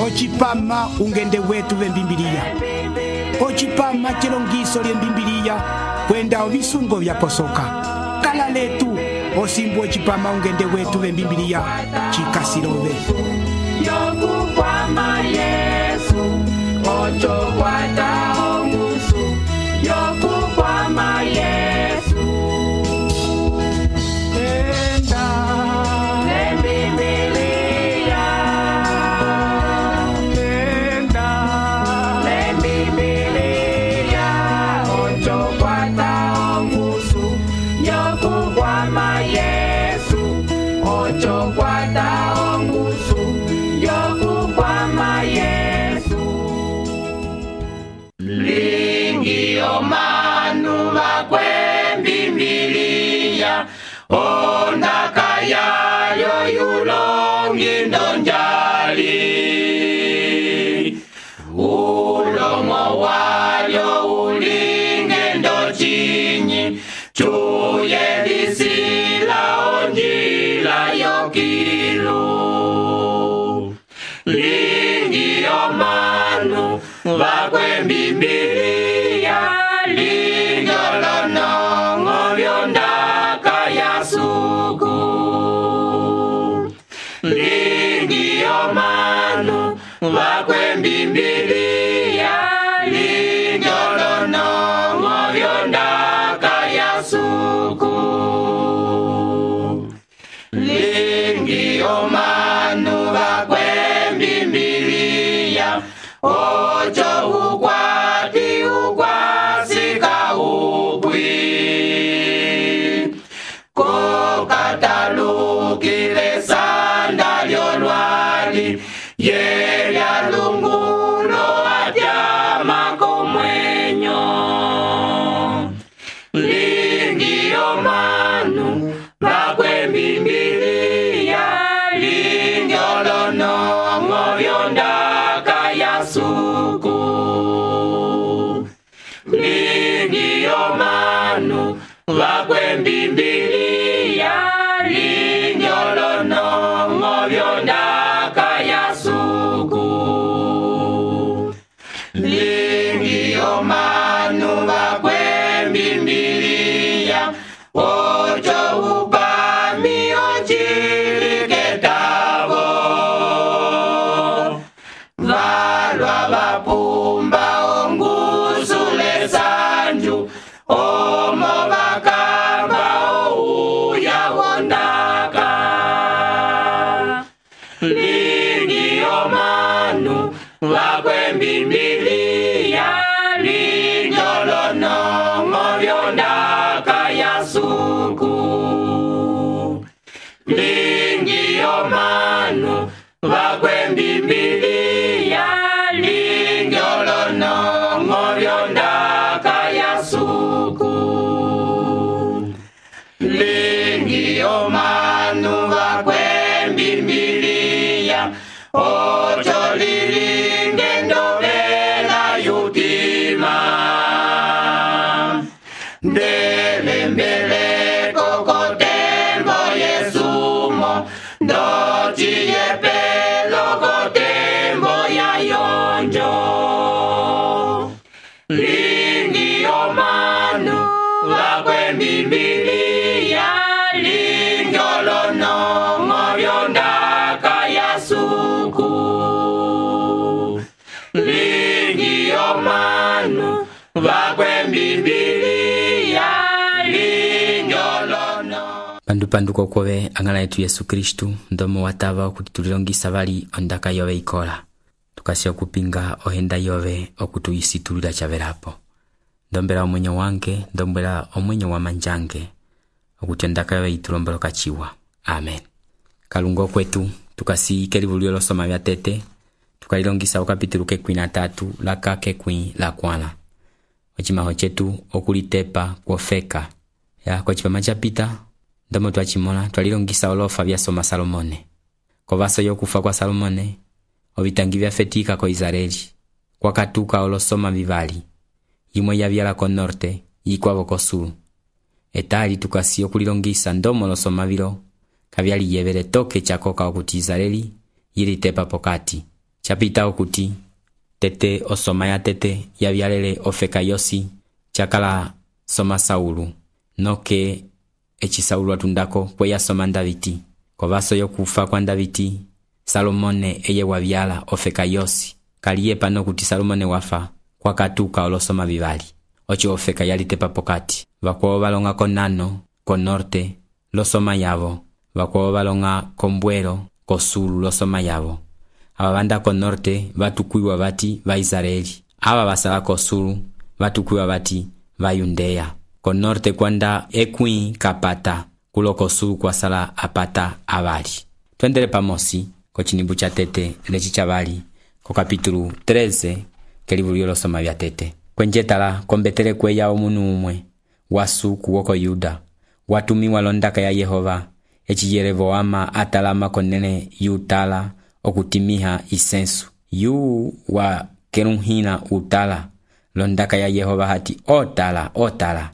ocipama ungende wetu vembimbiliya, ocipama cilongiso lyembimbiliya kwenda ovisungo vyaposoka. Kala letu osimbu ocipama ungende wetu vembimbiliya cikasilove. Yokukwama Yesu, ocho kwata ongusu. Yokukwama Yesu. Enda lembibiliya, enda lembibiliya, ocho kwata ongusu. Yokukwama Yesu, ocho kwata ongusu. Yokukwama Yesu. Lingi omanu vakwembimbiliya, ondaka yayo yulongi ndonjali. Ulomo walyo ulinge ndochinyi, chuye lisila onjila yokilu. Lingi omanu vakwembimbiliya, lingyolonongo vyondaka yasuku. Lingi omanu vakwembimbiliya, lingyolonongo vyondaka yasuku. Lingi omanu vakwembimbiliya, ocho ukwati ukwasika upwi. Kokatalukile sanda lyolwali, yelya lungulo atyama komwenyo. Lingi omanu vakwembimbiliya, lingyolonongo vyondaka yasuku. Lingi omanu vakwembimbiliya, lingyolonongo vyondaka yasuku. Lingi omanu vakwembimbiliya, ocho upami ochiliketavo. Valwa vapumba ongusule sanju, omo vakamba ouya wondaka. Lingi omanu vakwembimbiliya, lingyolonongo vyondaka yasuku. Lingi omanu vakwembimbiliya, lingyolonongo vyondaka yasuku. Lingi omanu vakwembimbiliya, ocho lilinge ndovela yutima. Ndelembeleko kotembo yesumo, ndociyepelo kotembo yayonjo. Lingi omanu vakwembimbiliya, lingyolonongo vyondaka yasuku. Lingi omanu vakwembimbiliya, lingyolonongo. Pandu kokove angala yetu Yesu Kristu, ndomo watava okuti tulilongisa vali ondaka yove ikola. Tukasi okupinga ohenda yove okutuyisitulila chavelapo. Ndombela omwenyo wange, ndombela omwenyo wa manjange, okuti ondaka yove itulombelo kachiwa. Amen. Kalungo kwetu, tukasi kelivulio losoma vya tete, tukalilongisa okapitulu kekwi na tatu, laka kekwi la kwana. Ochimaho chetu okulitepa kwofeka. Ya kwa chipama chapita, ndomo tuachimona, tualilongisa olofa vya soma Salomone. Kovaso yokufa kwa Salomone, ovitangi vya fetika ko Israeli. Kwa katuka olosoma vivali. Yimwe ya vyala ko norte, yikwavo ko sulu. Etali tukasi okulilongisa ndomo losoma vilo, kavyali yevele toke chakoka okuti Israeli, yili tepa pokati. chapita okuti tete osoma ya tete yavyalele ofeka yosi chakala soma Saulu noke eci Saulu atundako kweya soma Daviti kovaso yokufa kwa Daviti Salomone eye wavyala ofeka yosi kaliye pano kuti Salomone wafa kwa katuka olosoma vivali ocho ofeka yalitepa pokati vakuo valonga konano ko norte losoma yavo vakuo valonga kombwelo ko sulu losoma yavo aba banda ko norte vatukuiwa vati va Israeli aba basala ko sulu vatukuiwa vati va Yudea ko norte kwanda ekwi kapata kulo ko sulu kwa sala apata abali. Twendele pamosi ko chinimbu cha tete lechi chavali ko kapitulu 13 kelivulio losoma vya tete kwenjetala kombetele kweya omunu umwe wasuku woko Yuda watumiwa londaka ya Yehova eci Yeroboama atalama konene yutala okutimiha isensu yu wa kerunhina utala londaka ya Yehova hati otala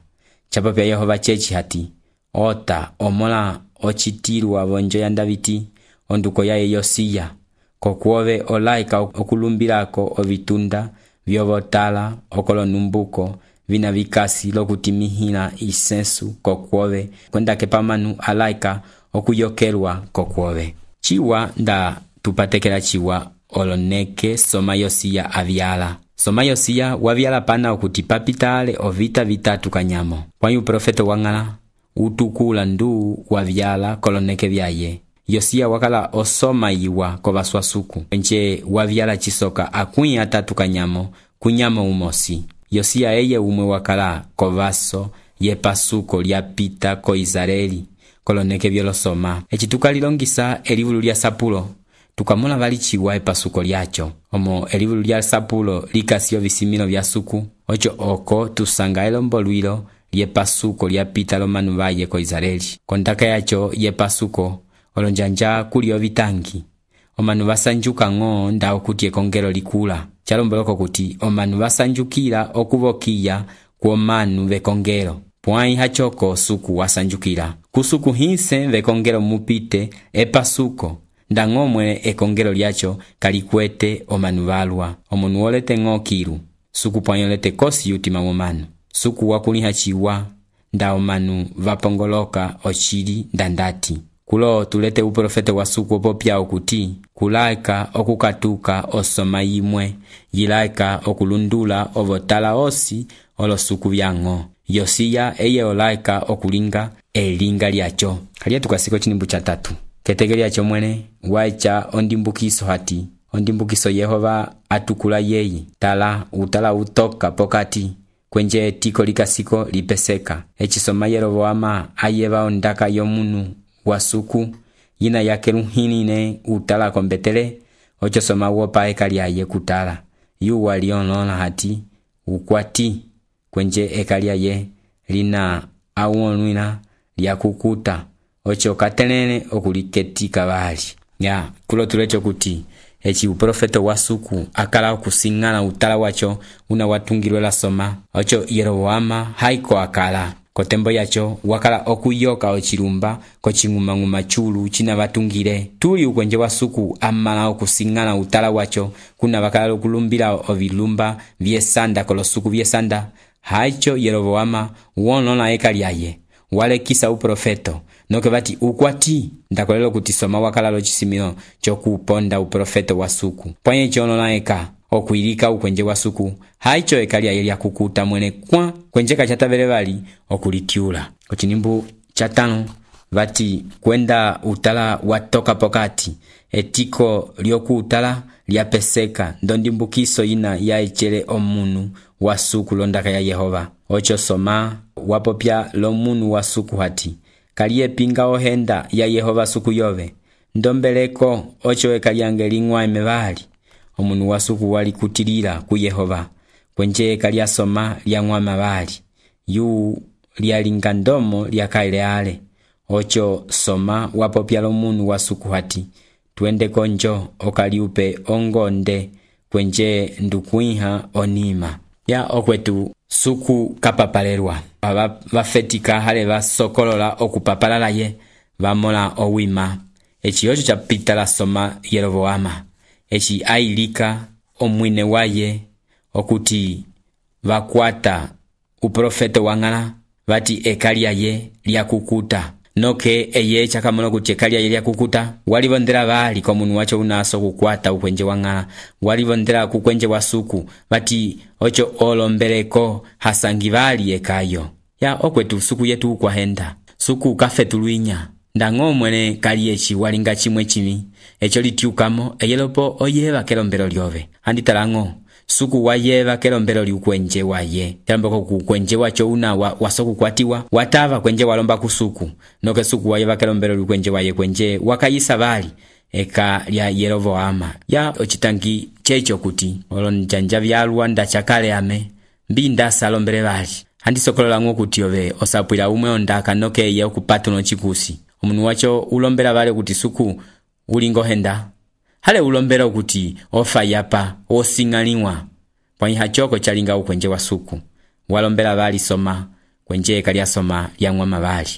chapapya Yehova chechi hati ota omola ochitirwa bonjo ya Daviti onduko ya Yosiya kokuove olaika okulumbirako ovitunda vyovotala okolo numbuko vina vikasi lokutimihina isensu kokuove kwendake pamanu alaika okuyokelwa kokuove chiwa nda tupatekela chiwa oloneke soma Yosiya avyala soma Yosiya wavyala pana okuti papitale ovita vitatu kanyamo kwanyu profeto wangala utukula ndu wavyala koloneke vyaye Yosiya wakala osoma iwa kovaswasuku nje wavyala chisoka akwi atatu kanyamo kunyamo umosi Yosiya eye umwe wakala kovaso yepasuko lyapita ko Israeli koloneke vyolosoma echituka lilongisa elivulu lya Sapulo tukamona vali chiwa epasuko lyacho omo elivulu lya Sapulo likasiyo visimilo vya suku ocho oko tusanga elombolwilo lyepasuko lyapita lomanu vaye ko Israeli kontaka yacho yepasuko olonjanja kulio vitangi omanu vasanjuka ngo ndao kuti ekongelo likula chalomboloko kuti omanu vasanjukira okuvokiya kuomanu vekongelo pwai hachoko suku wasanjukira kusuku hinse vekongelo mupite epasuko ndangomwe ekongelo lyacho kalikwete omanu valwa omunu olete ngokiru suku pwai olete kosi yutima momanu suku wakuliha chiwa nda omanu vapongoloka ochili ndandati kulo tulete uprofete wa suku opopya okuti kulaika okukatuka osoma imwe yilaika okulundula ovotala osi olosuku vyango Yosiya eye olaika okulinga elinga lyacho kaliye tukasiko chinimbu cha tatu ketege lyacho mwene waicha ondimbukiso hati ondimbukiso Yehova atukula yeyi tala utala utoka pokati kwenje tiko likasiko lipeseka echisoma Yeroboama ayeva ondaka yomunu wasuku yina yake lunhinine utala kombetele ocho soma wopa ekaliaye kutala yu walionona hati ukwati kwenje ekaliaye lina awonwina lyakukuta ocho katelene okuliketika bali ya kulo tulecho kuti echi uprofeto wasuku akala okusingana utala wacho una watungirwe la soma ocho Yeroboama haiko akala kotembo yacho wakala okuyoka ochilumba kochinguma chulu china vatungire tuli ukwenje wasuku amala okusingana utala wacho kuna wakala okulumbira ovilumba vyesanda kolosuku vyesanda haicho Yeroboama wonona ekaliaye walekisa uprofeto noke vati ukwati ndakolelo kuti soma wakala lochisimilo chokuponda uprofeto wasuku pwanye chonona eka okuilika ukwenje wasuku haicho ekaliaye lyakukuta mwene kwa kwenjeka chatavele vali okulitiula kuchinimbu chatano vati kwenda utala watoka pokati etiko lyoku utala lyapeseka ndondimbukiso ina ya echele omunu wasuku londaka ya Yehova ocho soma wapopya lomunu wasuku hati kaliye pinga ohenda ya Yehova suku yove ndombeleko ocho ekaliange lingwa emevali omunu wasuku wali kutilila ku Yehova kwenje kalia soma lya ngwama bali yu lyalinga ndomo lyakaileale ocho soma wapopya lomunu wasuku hati twende konjo okaliupe ongonde kwenje ndukuiha onima ya okwetu suku kapapalelwa vafetika hale vasokolola okupapalala ye vamola owima echiyocho chapita la soma Yeroboama eci ailika omwine waye okuti vakwata uprofeta wang'ala vati ekalia ye lyakukuta. Noke eye chakamono kuti ekalia ye lyakukuta walivondera vali kwa munu wacho unaso kukwata ukwenje wang'ala, walivondera kukwenje wasuku vati ocho olombereko hasangi vali ekayo. Ya okwetu suku yetu ukwahenda suku kafetuluinya ndang'o mwene kali eci walinga chimwe chimi echo litiukamo eyelopo oyeva kelombero lyove handitalang'o suku wayeva kelombero liukwenje waye telamboko kukwenje wacho una wasoku kwatiwa watava kwenje walomba kusuku noke suku wayeva kelombero liukwenje waye kwenje wakayisa vali eka lya Yeroboama. Ya ochitangi checho kuti olonjanja vyalwa ndachakale ame mbinda salombere vali handisokolola ng'o kuti ove osapwila umwe ondaka noke ye okupatu no chikusi omunu wacho ulombera vale kuti suku ulingo henda hale ulombera kuti ofa yapa osing'aliwa pwanyi hachoko chalinga ukwenje wa suku walombera vali soma kwenje kali asoma yang'wama vali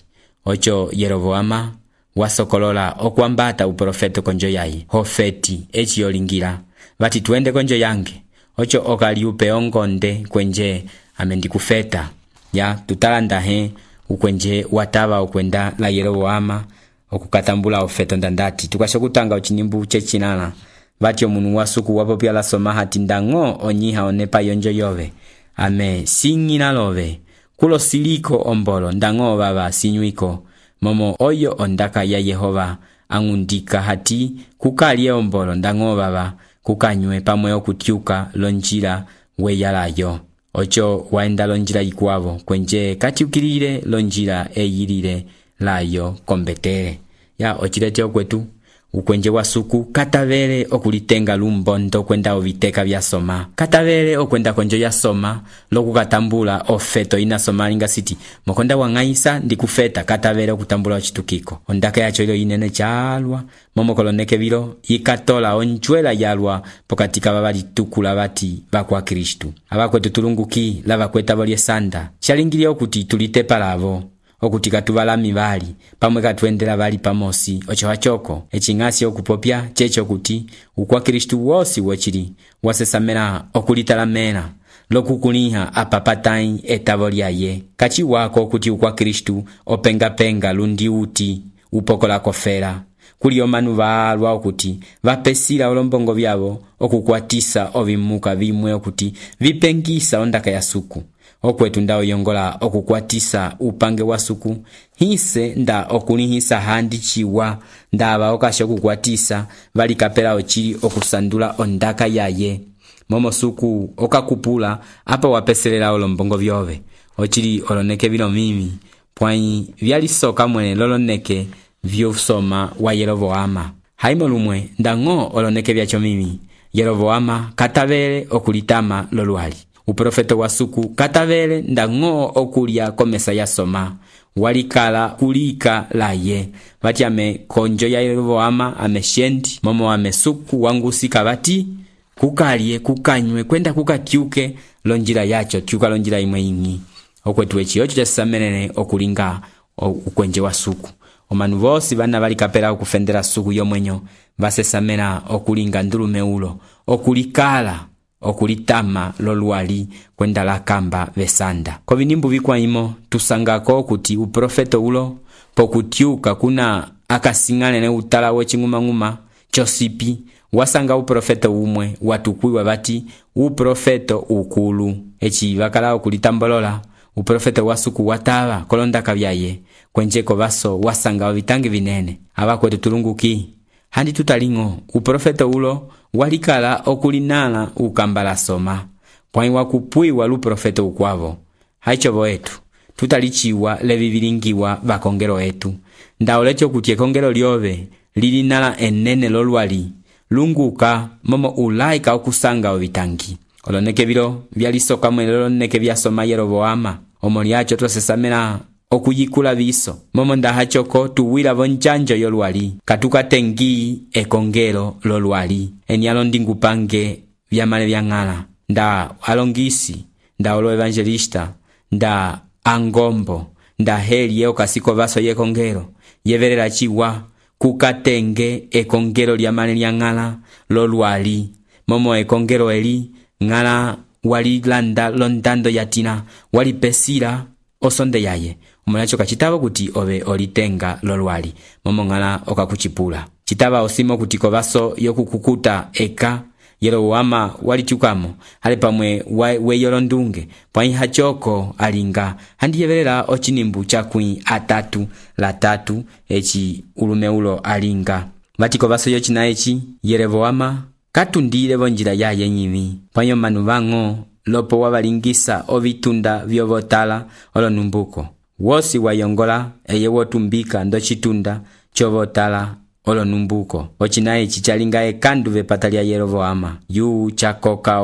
ocho Yeroboama wasokolola okwambata uprofeto konjo yayi Hofeti echi yolingira vati tuende konjo yange ocho okaliupe ongonde kwenje amendikufeta. Ya tutalanda he ukwenje watava ukwenda la Yeroboama okukatambula ofeto ndandati tukashokutanga uchinimbu chechinala vati omunu wasuku wapopya la soma hati ndang'o onyiha onepa yonjo yove ame sing'ina love kulo siliko ombolo ndang'o baba sinyuiko momo oyo ondaka ya Yehova angundika hati kukalie ombolo ndang'o baba kukanywe pamwe okutiuka lonjila weyalayo ocho waenda lonjila ikwavo kwenje katiukilile lonjila eyilile layo kombetere. Ya ochilete okwetu ukwenje wasuku katavele okulitenga lumbondo kwenda oviteka vya soma katavele okwenda konjo ya soma lokukatambula ofeto ina soma linga siti mokonda wang'aisa ndikufeta katavele okutambula ochitukiko ondaka yacho ilo inene chalwa momokoloneke vilo ikatola onjwela yalwa pokatika babali tukula bati bakwa Kristu abakwetu tulunguki lava kweta bolye sanda chalingili okuti tulitepa lavo okuti katubalami bali pamwe katuendela bali pamosi ocho hachoko eching'asi okupopya checho kuti ukwa Kristu wosi wochili wasesamela okulitalamela lokukuliha apapatai etavo lyaye kachi wako kuti ukwa Kristu openga lundi uti upokola kofera kuli omanu balwa okuti vapesila olombongo byabo okukwatisa ovimuka vimwe okuti vipengisa ondaka ya suku okwetu nda oyongola okukwatisa upange wa suku hise nda okulihisa handi chiwa ndaba okasha okukwatisa bali kapela ochili okusandula ondaka yaye momo suku okakupula apa wapeselela olombongo byove ochili oloneke bilo mimi pwanyi vyalisoka mwene loloneke vyosoma wa Yeroboama haimo lumwe ndang'o oloneke byacho mimi Yeroboama katavele okulitama lolwali uprofeto wa suku katavele ndang'o okulya komesa ya soma walikala kulika laye vati ame konjo ya Yeroboama ame shendi momo ame suku wangusika vati kukalye kukanywe kwenda kukatyuke lonjila yacho tyuka lonjila imwe ingi okwetu echi ocho chasamenene okulinga ukwenje wa suku omanu vosi bana bali kapela okufendera suku yomwenyo basesamena okulinga ndulume ulo okulikala okulitama lolwali kwenda la kamba vesanda kovinimbu vikwaimo tusangako kuti uprofeto ulo pokutyuka kuna akasing'ane ne utala weching'umang'uma chosipi wasanga uprofeto umwe watukwiwa bati uprofeto ukulu echi bakala okulitambolola uprofeto wasuku watava kolondaka byaye kwenjeko baso wasanga ovitangi vinene abakwetu tulunguki handi tutaling'o uprofeto ulo walikala okulinala ukambala soma pwanyi wakupwiwa luprofeto ukwavo haichovo etu tutalichiwa levivilingiwa bakongelo etu ndaolecho kuti ekongelo lyove lilinala enene lolwali lunguka momo ulaika okusanga ovitangi oloneke bilo vyalisoka mwene loloneke vyasoma Yeroboama omo lyacho tosesamela okuyikula biso momo ndahachoko tuwila vonjanjo yolwali katukatengi ekongelo lolwali enyalo ndingupange vyamale vyang'ala nda alongisi nda olo evangelista nda angombo nda heli okasiko baso yekongelo yevelela chiwa kukatenge ekongelo lyamale lya ng'ala lolwali momo ekongelo eli ng'ala walilanda londando yatina walipesila osonde yaye omulacho kachitava kuti ove olitenga lolwali momo ng'ala okakuchipula chitava osimo kuti kovaso yokukukuta eka Yeroboama walichukamo ale pamwe weyolondunge pwaiha choko alinga handiyevelela ochinimbu chakwi atatu la tatu echi ulumeulo alinga vatiko vaso yochina echi Yeroboama katundile vonjila yaye nyivi pwanyo manu vang'o lopo wavalingisa ovitunda vyovotala olonumbuko wosi wayongola eye wotumbika ndo chitunda chovotala olonumbuko ochina echi chalinga ekandu vepata lya Yeroboama yu chakoka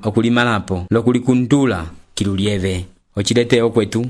okulimalapo lokulikundula kilulieve ochilete okwetu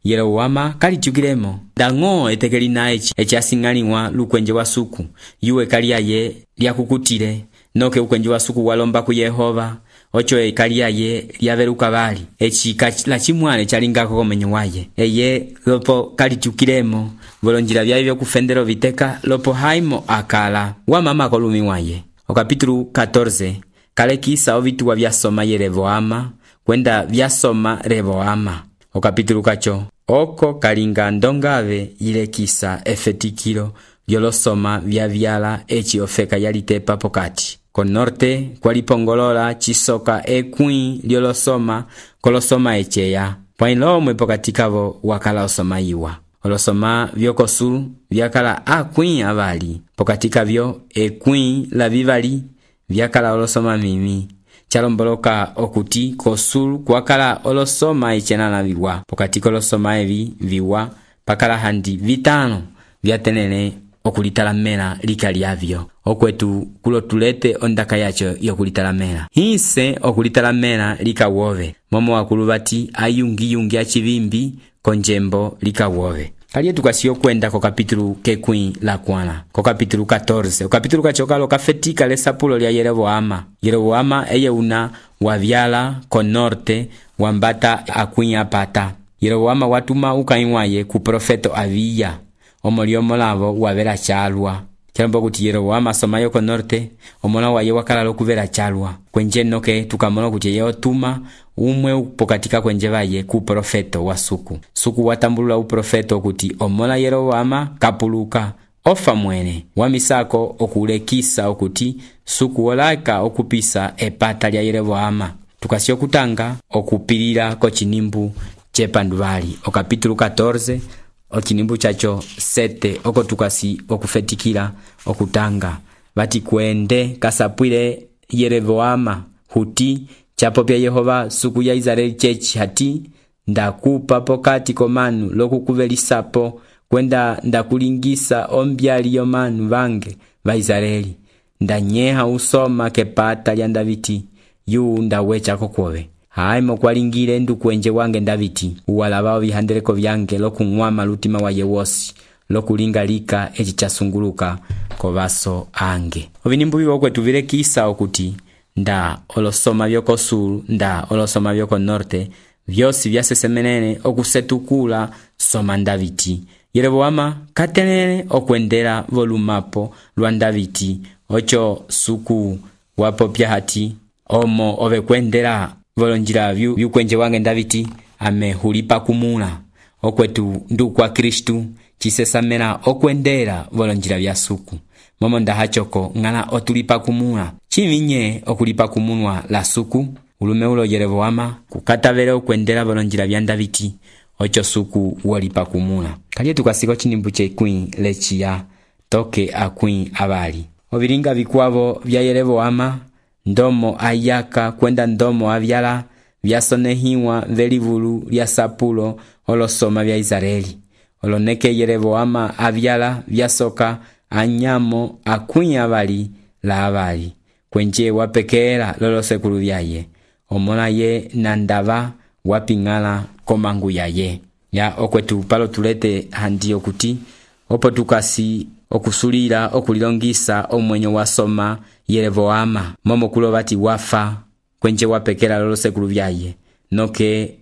Yeroboama kalichukilemo ndang'o etekelina echi asing'aliwa lukwenje wa suku yuwe kaliaye lyakukutile noke ukwenje wa suku walomba ku Yehova ocho ekaliaye lyaveruka bali echi la chimwale chalingako komenyo waye eye lopo kalichukilemo volonjila vyaye vyokufendero viteka lopo haimo akala wa mama kolumi waye okapitulu 14 kalekisa ovituwa vyasoma Yeroboama kwenda vyasoma Reboama okapitulu kacho oko kalinga ndongave ilekisa efetikilo vyolosoma vyavyala echi ofeka yalitepa pokati konorte kwalipongolola chisoka ekwi lyolosoma kolosoma echeya pwailomwe pokati kavo wakala osoma iwa olosoma vyokosulu vyakala akwi avali pokati kavyo ekwi la vivali vyakala olosoma mimi chalomboloka okuti kosulu kwakala olosoma echenana viwa pokati kolosoma evi viwa pakala handi vitano vyatenene okulitalamela likalyavyo okwetu kulotulete ondaka yacho yokulitalamela hise okulitalamela likawove momo wakulu bati ayungi achivimbi konjembo likawove kaliye tukasiyo kwenda ko kapitulu kekwi la kwana ko kapitulu 14 okapitulu kachokalo kafetika lesapulo lya Yeroboama eye una wavyala konorte wambata akwi apata Yeroboama watuma ukaiwaye ku profeto Abiya omoliomo lavo wavera chalwa chalombo kuti Yeroboama somayo konorte omola waye wakala lokuvera chalwa kwenje noke tukamola kuti yotuma umwe pokatika kwenje vaye ku profeto wa suku watambulula uprofeto kuti omola Yeroboama kapuluka ofa mwene wamisako okulekisa okuti suku wolaka okupisa epata lya Yeroboama tukasiyo kutanga okupilira ko chinimbu chepanduvali okapitulu 14 ochinimbu chacho 7 oko tukasi okufetikila okutanga vati kwende kasapwile Yeroboama huti chapo pya Yehova suku ya Israeli chechi hati ndakupa pokati komanu lokukuvelisapo kwenda ndakulingisa ombyali yomanu vange va Israeli ndanyeha usoma kepata lya Daviti yu ndawecha kokwove haimo kwalingile ndukwenje wange Daviti uwalabao vihandeleko vyange lokung'wama lutima wa yewosi lokulingalika echi chasunguluka kovaso ange ovinimbu vivo kwetu vilekisa okuti nda olosoma vyokosulu nda olosoma vyokonorte vyosi vyasesemenene okusetukula soma Daviti Yeroboama katenene okwendela volumapo lwa Daviti ocho suku wapopya hati omo ove kwendela volonjila vyukwenje wange Daviti amehulipa kumula okwetu ndukwa Kristu chisesamela okwendela volonjila vya suku momo ndahachoko ng'ala otulipa kumula chivinye okulipa kumunwa la suku ulumeulo Yeroboama kukatavele okwendela volonjila vya Daviti ocho suku wolipa kumula kaliye tukasiko chinimbu chekwi lechiya toke akwi abali ovilinga vikwavo vya Yeroboama ndomo ayaka kwenda ndomo avyala vyasonehiwa velivulu lya sapulo olosoma vya Israeli oloneke Yeroboama avyala vyasoka anyamo akwi abali la abali kwenje wapekela lolosekulu vyaye omola ye nandava wapingala komangu yaye ya okwetu palo tulete handi okuti opo tukasi okusulira okulilongisa omwenyo wasoma Yeroboama momo kulovati wafa kwenje wapekela lolosekulu vyaye noke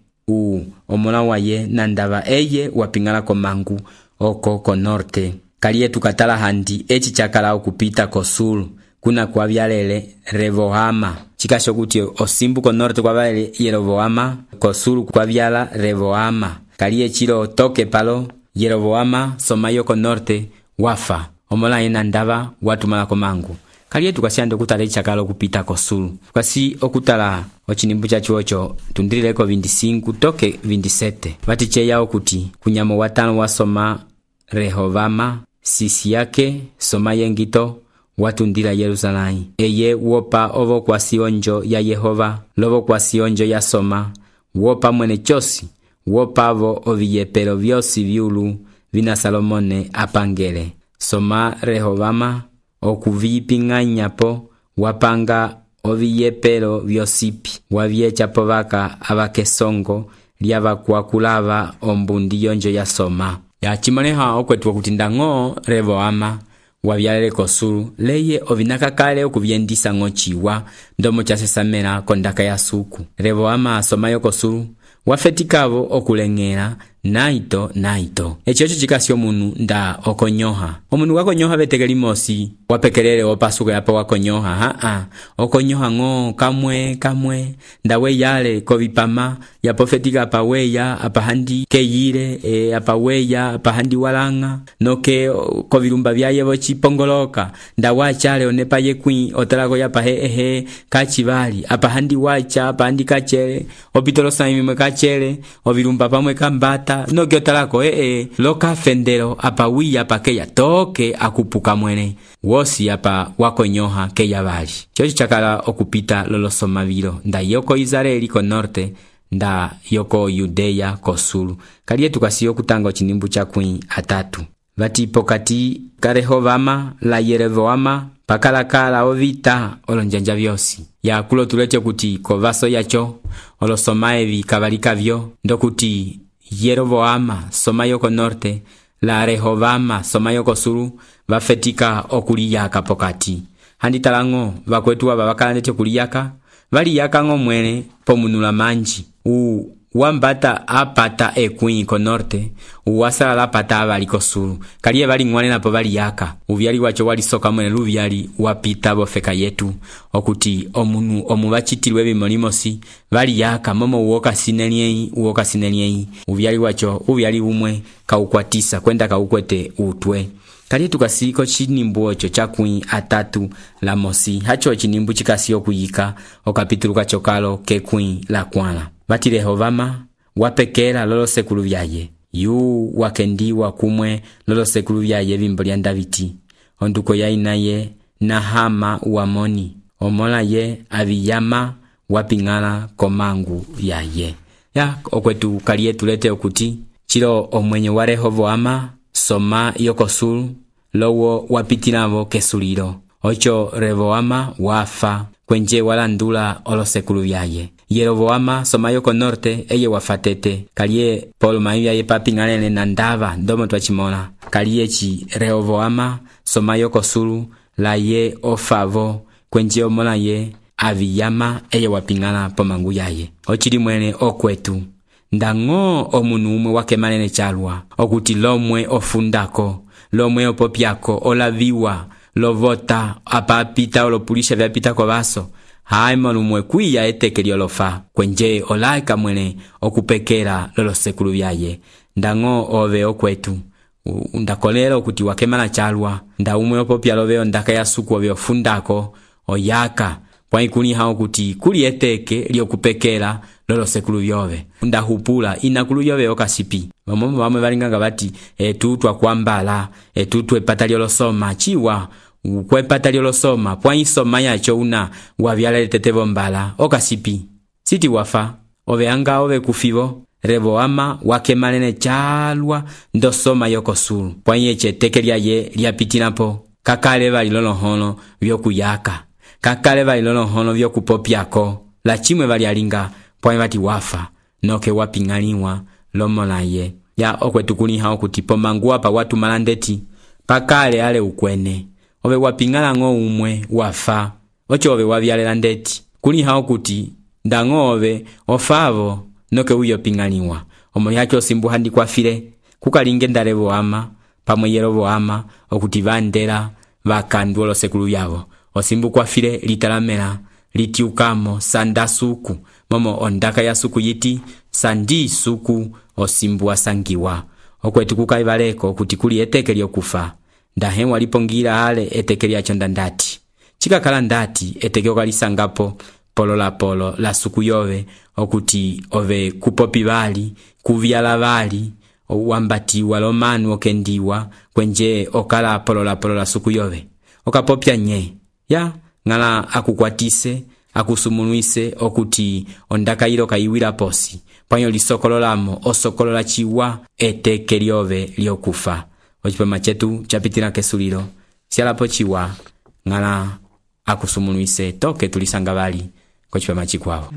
omola waye nandava eye wapingala komangu oko konorte kaliye tukatala handi eci cakala okupita kosulu kuna kwavyalele Revoama. Cikasho kuti osimbu konorte kwavyalele Yeroboama, kosulu kwavyala Revoama. Kaliye chilo toke palo Yeroboama somayo konorte wafa. Omola ena ndava watumala komangu. Kaliye tukasiande okutala eci cakala okupita kosulu. Kwasi okutala ochinimbu cha chuocho tundirileko 25 toke 27. Vatiche yao kuti kunyamo watano wasoma Rehovama sisi yake soma yengito watundila Yerusalai. Eye wopa ovo kwa sionjo ya Yehova, lovo kwa sionjo ya soma, wopa mwene chosi, wopa avo oviyepelo vyosi viulu vina Salomone apangele. Soma Rehovama okuviping'anyapo wapanga oviyepelo vyosipi, wavyechapo vaka avakesongo lyavakwakulava ombundi yonjo ya soma. Ya chimoneha okwetu kuti ndango Revoama wavyalele kosulu leye ovinakakale okuvyendisa ng'ochiwa ndomo chasesamela kondaka ya suku. Revoama somayo kosulu wafetikavo okuleng'ela naito. Echocho chikasi omunu nda okonyoha. Omunu wakonyoha beteke limosi wapekelele opasuko yapa wakonyoha. Okonyoha ng'o kamwe ndawe yale kovipama yapofetika apaweya apahandi keyile apaweya apahandi walanga noke kovilumba vyayevo chipongoloka ndawachale onepa yekwi otalako yapa kachivali apahandi wacha apahandi kachele opitolo saimimwe kachele ovilumba pamwe kambata noke otalako loka fendelo apawiya pakeya toke akupuka mwene wosi apa wakonyoha keya vali. Chocho chakala okupita lolosoma vilo nda yoko Israeli konorte nda yoko Yudea kosulu. Kaliye tukasiyo kutanga ochinimbu chakwi atatu. Vati pokati ka Rehovama la Yeroboama pakalakala ovita olonjanja vyosi. Ya kulo tulete kuti kovaso yacho olosoma evi kavalika vyo ndokuti Yeroboama somayo konorte la Rehovama somayo kosulu vafetika okuliyaka pokati. Handi talango vakwetu ava vakalandete kuliyaka valiyaka ng'o mwene pomunula manji. Wambata apata ekwi konorte uwasala lapata avali kosulu kaliye vali ng'wane napo valiyaka uvyali wacho wali soka mwene luvyali wapita bofeka yetu okuti omunu omuvachitilwe bimolimosi valiyaka momo uoka sinelieyi uvyali wacho uvyali umwe kaukwatisa kwenda kaukwete utwe. Kaliye tukasiko chinimbu ocho chakwi atatu la mosi hacho chinimbu chikasiyo kuyika okapituluka chokalo kekwi la kwana. Vati Rehovama wapekela lolo sekulu vyaye yu wakendiwa kumwe lolo sekulu vyaye vimbo lya Daviti onduko yainaye Nahama uamoni omola ye aviyama wapingala komangu yaye. Ya okwetu kaliye tulete okuti chilo omwenye wa Rehoboama soma yokosulu lowo wapitilavo kesulilo ocho Rehoboama wafa kwenje walandula olosekulu vyaye. Yeroboama somayo konorte eye wafatete kaliye polo maivya ye papingalene na ndava ndomo twachimona kaliye chi Rehoboama somayo kosulu la ye ofavo kwenje omola ye aviyama eye wapingala pomangu yaye. Ochili mwene okwetu ndango omunu umwe wakemalene chalwa okuti lomwe ofundako lomwe opopyako olaviwa lovota apapita olopulisha vyapita kwa vaso haima lumwe kwiya etekeli olofa kwenje olaika mwene okupekela lolo sekulu vyaye ndango ove okwetu ndakolelo kuti wakemala chalwa nda umwe opopya loveo ndaka ya suku ove ofundako oyaka kwa ikuni hao kuti kuli eteke liokupekela lolo sekulu vyove ndahupula inakulu vyove okasipi mamomo vamwe valinganga vati tutwa kwambala tutwe patali olosoma chiwa ukwepata lyolosoma pwaisoma yacho una wavyalele tetevo mbala okasipi siti wafa ove anga ove kufivo Rehoboama wakemalene chalwa ndosoma yokosulu pwaiyeche teke lyaye lyapitinapo kakale vali lolohono vyokuyaka kakale vali lolohono vyokupopyako la chimwe vali alinga pwai vati wafa noke wapingaliwa lomolaye. Ya okwetukuni hao kuti pomangu apa watu malandeti pakale ale ukwene ove wapingala ng'o umwe wafa ocho ove wavyalela ndeti kuli hao kuti ndango ove ofavo noke uyo pingaliwa omoli hacho simbu handi kwa file kukalinge nda Rehoboama pamwe Yeroboama okuti vandela vakandwa olosekulu yavo. Osimbu kwafile litalamela litiukamo sanda suku, momo ondaka ya suku yiti sandi suku osimbu wasangiwa. Okwetu kukaivaleko kuti kuli eteke lyokufa. Ndahe walipongira ale eteke lyacho ndandati. Chikakala ndati eteke okalisangapo polo la suku yove okuti ove kupopi vali, kuvyala vali, wambati walomanu okendiwa kwenje okala polo la suku yove. Okapopya nye ya ngala akukwatise akusumunuise okuti ondaka ilo kaiwila posi panyo lisokololamo osokolola chiwa eteke lyove lyokufa. Ochipama chetu chapitila kesulilo sialapo chiwa ngala akusumunuise toke tulisanga vali kochipama chikwao.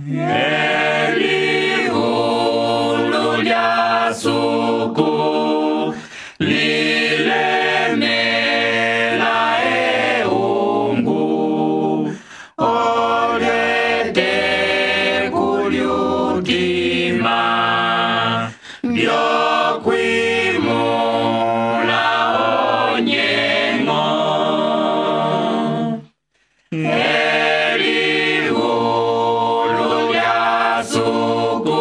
Elihulu lya suku lilemela eungu olyete kulyutima byokwimula onyengo. Elihulu lya suku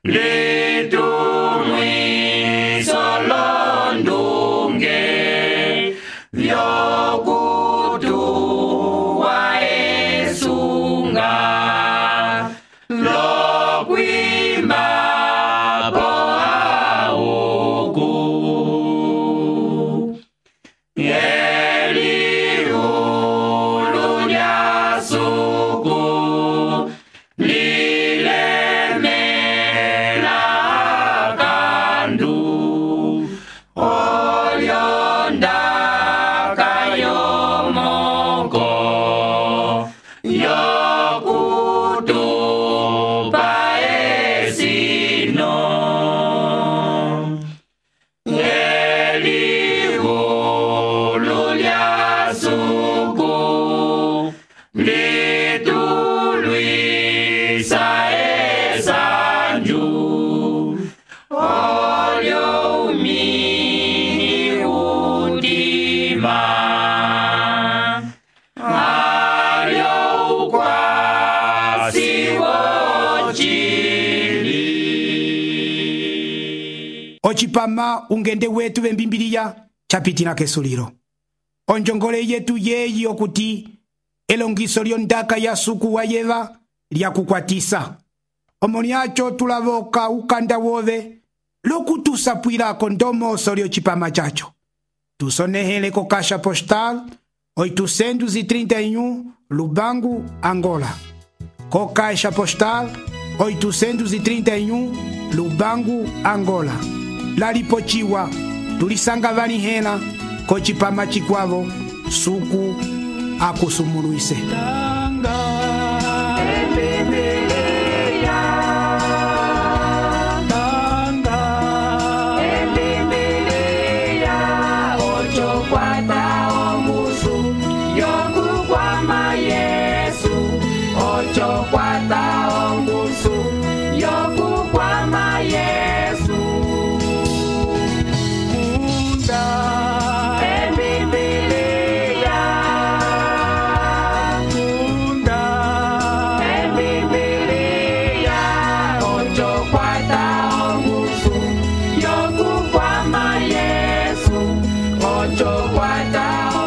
litumwiso londunge vyokutuwa esunga lokwima po auku. Elihulu lya suku lilemela kandu olyondaka yomoko yokutupa esino. Elihulu lya suku litulwisa esanju olyo umini utima alyo ukwasi wochili. Ochipama ungende wetu vembimbiliya chapitila kesulilo. Onjongole yetu yeyi okuti elongiso lyondaka ya suku wa yeva lyakukwatisa. Omoni acho tulavoka ukanda wove lokutusapwilako ndomoso lyochipama chacho. Tusonehele ko Caixa Postal 831 Lubangu, Angola. Ko Caixa Postal 831 Lubangu, Angola. Lalipochiwa tulisanga vani hena ko chipama chikwavo suku akusumunuise. Yokukwama Yesu, ocho kwata